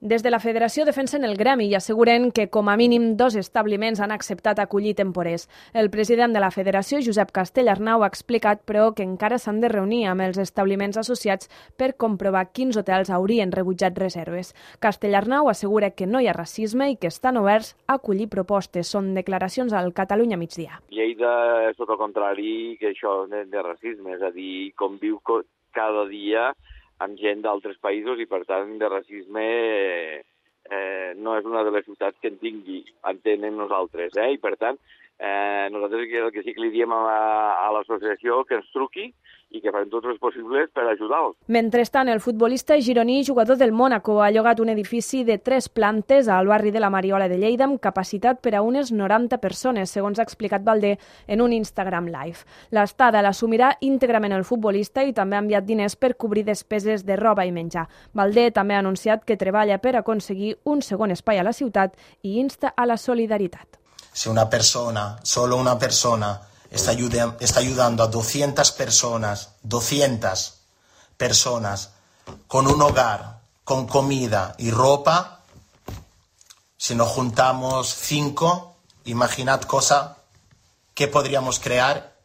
Des de la Federació defensen el gremi i asseguren que com a mínim 2 establiments han acceptat acollir temporers. El president de la Federació, Josep Castellarnau, ha explicat, però, que encara s'han de reunir amb els establiments associats per comprovar quins hotels haurien rebutjat reserves. Castellarnau assegura que no hi ha racisme i que estan oberts a acollir propostes. Són declaracions al Catalunya Migdia. Lleida és tot el contrari que això de racisme, és a dir, conviu cada dia amb gent d'altres països i, per tant, de racisme no és una de les ciutats que en tingui, entenen nosaltres. I, per tant, nosaltres el que sí que li diem a l'associació que ens truqui i que farem tots els possibles per ajudar-los. Mentrestant, el futbolista gironí, jugador del Mónaco, ha llogat un edifici de 3 plantes al barri de la Mariola de Lleida amb capacitat per a unes 90 persones, segons ha explicat Valdé en un Instagram Live. L'estada l'assumirà íntegrament el futbolista i també ha enviat diners per cobrir despeses de roba i menjar. Valdé també ha anunciat que treballa per aconseguir un segon espai a la ciutat i insta a la solidaritat. Si una persona, solo una persona, está ayudando a 200 personas con un hogar, con comida y ropa, si nos juntamos 5, imaginad qué podríamos crear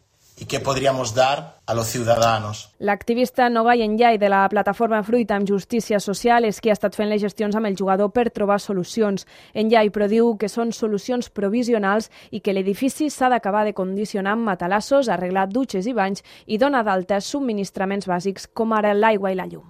i què podríamos dar a los ciudadanos. L'activista Nogai Enllai de la plataforma Fruita amb Justícia Social és qui ha estat fent les gestions amb el jugador per trobar solucions. Enllai però diu que són solucions provisionals i que l'edifici s'ha d'acabar de condicionar amb matalassos, arreglar dutxes i banys i donar d'alta subministraments bàsics com ara l'aigua i la llum.